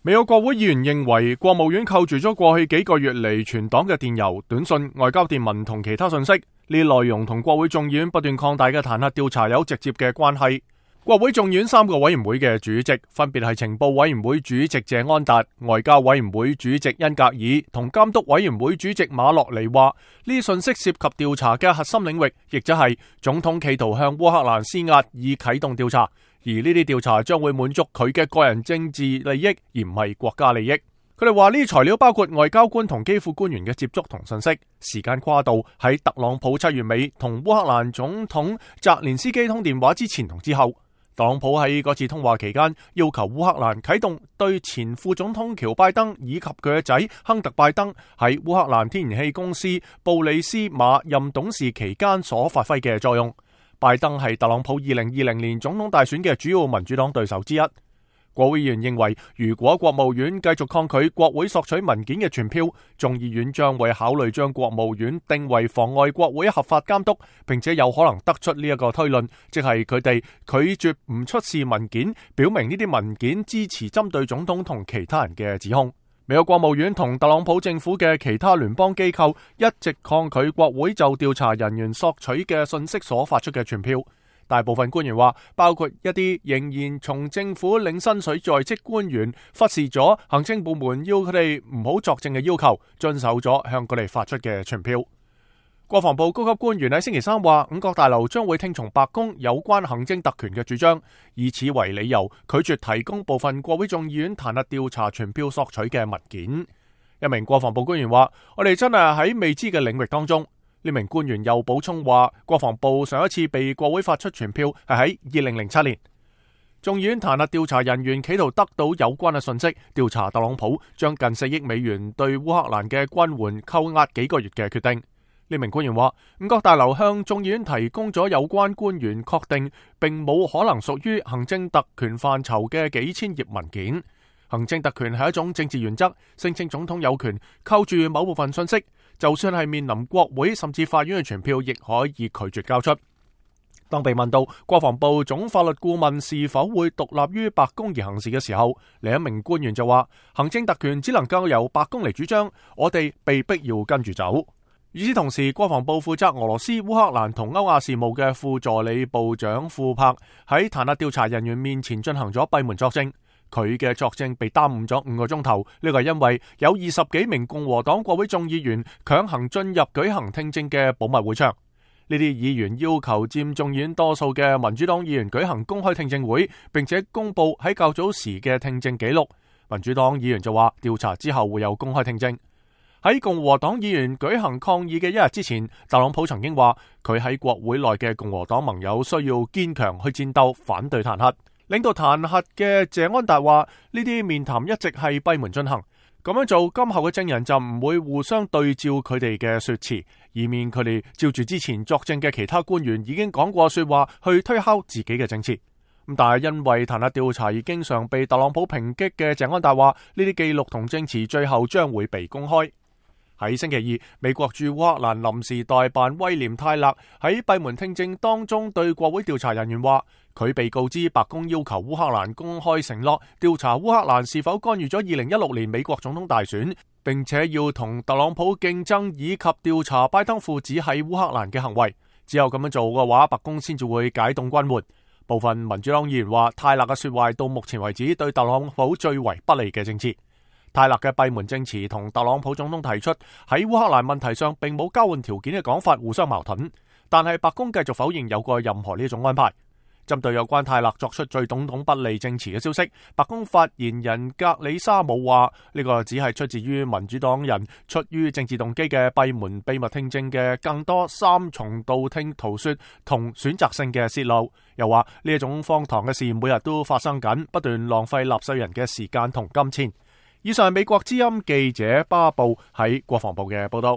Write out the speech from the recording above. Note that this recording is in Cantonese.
美國國會議員認為，國務院扣住咗過去幾個月嚟全黨嘅電郵、短信、外交電文同其他信息，呢啲內容同國會眾議院不斷擴大嘅彈劾調查有直接嘅關係。國會眾議院3個委員會嘅主席分別係情報委員會主席謝安達、外交委員會主席恩格爾同監督委員會主席馬洛尼話，呢啲信息涉及調查嘅核心領域，亦即係總統企圖向烏克蘭施壓以啟動調查，而呢啲調查將會滿足佢嘅個人政治利益，而唔係國家利益。佢哋話呢啲材料包括外交官同基輔官員嘅接觸同信息，時間跨度喺特朗普7月尾同烏克蘭總統澤連斯基通電話之前同之後。特朗普喺嗰次通話期間要求烏克蘭啟動對前副總統喬拜登以及佢嘅仔亨特拜登喺烏克蘭天然氣公司布里斯馬任董事期間所發揮嘅作用。拜登係特朗普2020年總統大選嘅主要民主黨對手之一。國會議員認為，如果國務院繼續抗拒國會索取文件嘅傳票，眾議院將會考慮將國務院定為妨礙國會合法監督，並且有可能得出呢一個推論，即係佢哋拒絕唔出示文件，表明呢啲文件支持針對總統同其他人嘅指控。美國國務院同特朗普政府嘅其他聯邦機構一直抗拒國會就調查人員索取嘅信息所發出嘅傳票。大部分官員話，包括一啲仍然從政府領薪水在職官員，忽視咗行政部門要佢哋唔好作證嘅要求，遵守咗向佢哋發出嘅傳票。國防部高級官員喺星期三話，五角大樓將會聽從白宮有關行政特權嘅主張，以此為理由拒絕提供部分國會眾議院彈劾調查傳票索取嘅文件。一名國防部官員話，我哋真係喺未知嘅領域當中。呢名官員又補充話，國防部上一次被國會發出傳票係喺2007年。眾議院彈劾調查人員企圖得到有關嘅信息，調查特朗普將近4億美元對烏克蘭嘅軍援扣押幾個月嘅決定。呢名官員話，五角大樓向眾議院提供咗有關官員確定並冇可能屬於行政特權範疇嘅幾千頁文件。行政特權係一種政治原則，聲稱總統有權扣住某部分信息，就算係面臨國會甚至法院嘅傳票，亦可以拒絕交出。當被問到國防部總法律顧問是否會獨立於白宮而行事嘅時候，另一名官員就話，行政特權只能夠由白宮嚟主張，我哋被逼要跟住走。與此同時，國防部負責俄羅斯、烏克蘭同歐亞事務嘅副助理部長庫柏喺彈劾調查人員面前進行咗閉門作證。佢嘅作證被耽誤咗5個鐘頭，呢個係因為有20幾名共和黨國會眾議員強行進入舉行聽證嘅保密會場。呢啲議員要求佔眾議院多數嘅民主黨議員舉行公開聽證會，並且公布喺較早時嘅聽證記錄。民主黨議員就話，調查之後會有公開聽證。喺共和黨議員舉行抗議嘅1日之前，特朗普曾經話佢喺國會內嘅共和黨盟友需要堅強去戰鬥，反對彈劾。領導彈劾嘅謝安達話，呢啲面談一直係閉門進行，咁樣做今後嘅證人就唔會互相對照佢哋嘅說辭，以免佢哋照住之前作證嘅其他官員已經講過說話去推敲自己嘅證詞。咁但係因為彈劾調查而經常被特朗普抨擊嘅謝安達話，呢啲記錄同證詞最後將會被公開。喺星期二，美國駐烏克蘭臨時代辦威廉泰勒喺閉門聽證當中對國會調查人員話，佢被告知白宮要求烏克蘭公開承諾調查烏克蘭是否干預咗2016年美國總統大選，並且要同特朗普競爭以及調查拜登父子喺烏克蘭嘅行為。只有咁樣做嘅話，白宮先至會解凍軍援。部分民主黨議員話，泰勒嘅說話到目前為止對特朗普最為不利嘅政治。泰勒嘅閉門證詞同特朗普總統提出喺烏克蘭問題上並冇交換條件嘅講法互相矛盾，但係白宮繼續否認有過任何呢種安排。針對有關泰勒作出對總統不利證詞嘅消息，白宮發言人格里沙姆話，呢個只係出自於民主黨人出於政治動機嘅閉門秘密聽證嘅更多3重道聽途說同選擇性嘅泄露。又話呢一種荒唐嘅事每日都發生緊，不斷浪費納稅人嘅時間同金錢。以上係美國之音記者巴布喺國防部嘅報道。